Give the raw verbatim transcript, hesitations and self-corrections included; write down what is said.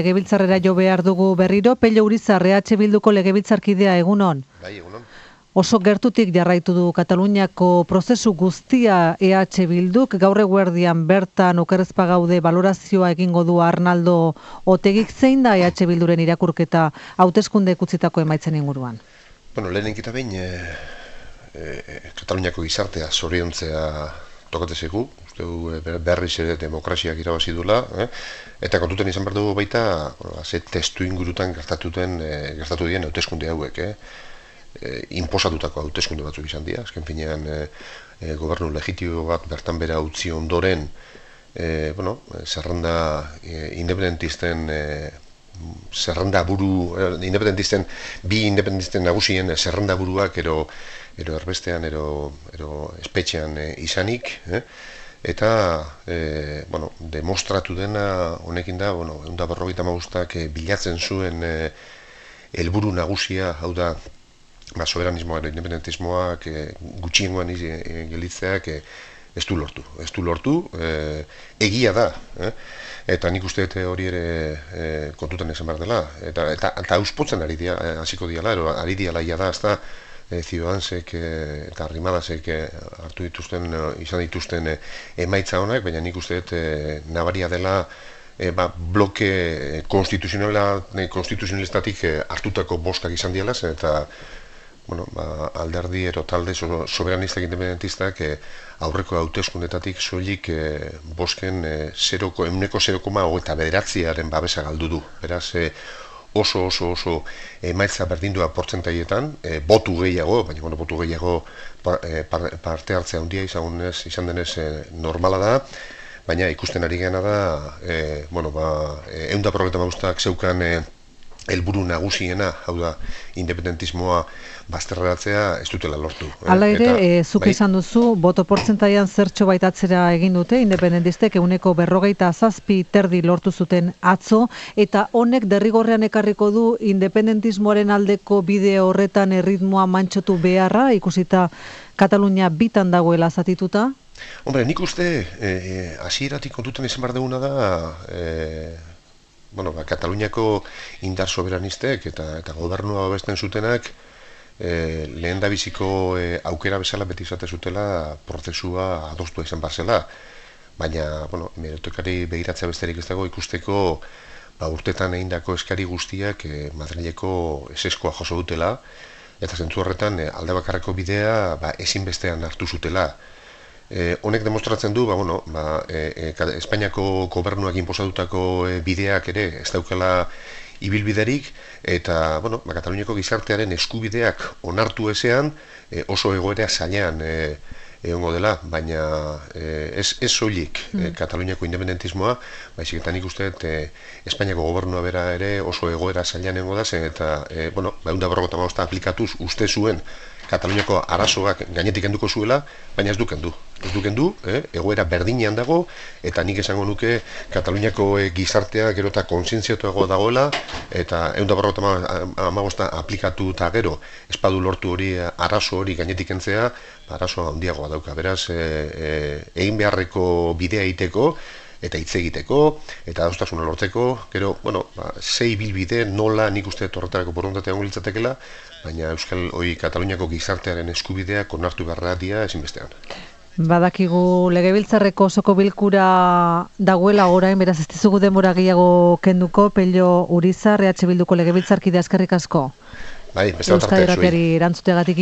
Legebiltzarrera jo behar dugu berriro, Pello Urizar, E H Bilduko legebiltzarkidea, egunon. Bai, egunon. Oso gertutik jarraitu du Kataluniako prozesu guztia E H Bilduk, gaur eguerdian bertan okerrezpa gaude balorazioa egingo du Arnaldo Otegik. Zein da E H Bilduren irakurketa hauteskunde utzitako emaitzen inguruan? Bueno, lehenik eta behin, e, e, Kataluniako gizartea zoriontzea tokatzezeko, uste du berriz ere demokraziak irabazi dula, eh? Eta kontuten izan behar dugu baita, bueno, ze testu ingurutan gertatuten, e, gertatu dien hauteskunde hauek, eh? E, inposatutako hauteskunde batzuk izan dira, azken finean e, e, gobernu legitimo bat bertan bera utzi ondoren, e, bueno, zerrenda e, independentisten e, zerrenda buru, e, independentisten, bi independentisten nagusien zerrenda buruak ero, ero erbestean, ero, ero espetxean e, izanik, eh? Eta, e, bueno, demostratu dena honekin da, bueno, ehun eta berrogeita hamabostak e, bilatzen zuen e, helburu nagusia, hau da, ba, soberanismoa edo independentismoak e, gutxiengoan e, gelitzeak e, ez du lortu. Ez du lortu, e, egia da, eh? Eta nik uste hori ere e, kontutan esan behar dela. Eta, eta, eta auspotzen ari dia, hasiko diala, ero ari diala ia da, ez da, e, Ciudadansek e, eta Arrimadasek e, hartu dituzten, e, izan dituzten e, emaitza honak, baina nik uste e, nabaria dela E, ba, bloke konstituzionala, konstituzionalistatik e, hartutako bostak izan diala, eta bueno, ba, alderdi ero talde so, soberanistak independentistak e, aurreko hauteskundetatik soilik e, bosken e, zeroko, euneko zero koma hogeita bederatziaren babesa galdu du. Beraz, e, oso oso oso emaitza berdindua portzentaietan, e, botu gehiago, baina bueno, botu gehiago par, e, par, parte hartzea handia izan, izan denez e, normala da, baina ikusten ari gana da, e, bueno, ba, ehun eta berrogeita hamabostak zeukan e, helburu nagusiena, hau da, independentismoa bazterratzea ez dutela lortu. Hala ere, Eta, e, zuk bai, izan duzu, boto portzentaian zertxo baitatzera egin dute, independentistek ehuneko berrogeita zazpi terdi lortu zuten atzo, eta honek derrigorrean ekarriko du independentismoaren aldeko bide horretan erritmoa mantxotu beharra, ikusita Katalunia bitan dagoela zatituta? Hombre, nik uste, hasieratik e, kontutan izan behar duguna da, e, bueno, ba, Kataluniako indar soberanistek eta, eta gobernua babesten zutenak e, lehen da biziko e, aukera bezala beti izate zutela prozesua adostua izan barzela. Baina, bueno, meritokari begiratzea besterik ez dago ikusteko ba, urtetan egindako eskari guztiak e, Madrileko eseskoa jaso dutela, eta zentzu horretan e, alde bakarreko bidea ba, ezinbestean hartu zutela. Eh, honek demostratzen du, ba, bueno, ba, e, e, Espainiako gobernuak inposatutako e, bideak ere ez daukala ibilbiderik, eta bueno, ba, Kataluniako gizartearen eskubideak onartu ezean e, oso egoera zailean e, egongo dela, baina e, ez, ez soilik e, Kataluniako independentismoa, baizik eta nik uste e, Espainiako gobernua bera ere oso egoera zailean egongo da, zen, eta e, bueno, ba, ehun eta berrogeita hamabost aplikatuz uste zuen Kataluniako arazoak gainetik kenduko zuela, baina ez du kendu. Ez du kendu, eh? Egoera berdinean dago, eta nik esango nuke Kataluniako eh, gizartea gero eta kontzientziatuago dagoela, eta ehun eta berrogeita hamabost aplikatu eta gero, espadu lortu hori, arazo hori gainetik kentzea, arazo handiagoa dauka. Beraz, e, e, egin beharreko bidea egiteko, eta hitz egiteko, eta adostasuna lortzeko, gero, bueno, ba, zei bilbide nola nik uste horretarako borondatea ongo litzatekela, baina Euskal Hoi Kataluniako gizartearen eskubideak onartu beharra dira ezinbestean. Badakigu legebiltzarreko osoko bilkura dagoela orain, beraz ez dizugu denbora gehiago kenduko, Pello Urizar, E H Bilduko legebiltzarkide eskerrik asko. Bai, beste bat arte zuei. Euskadi Irratiari erantzuteagatik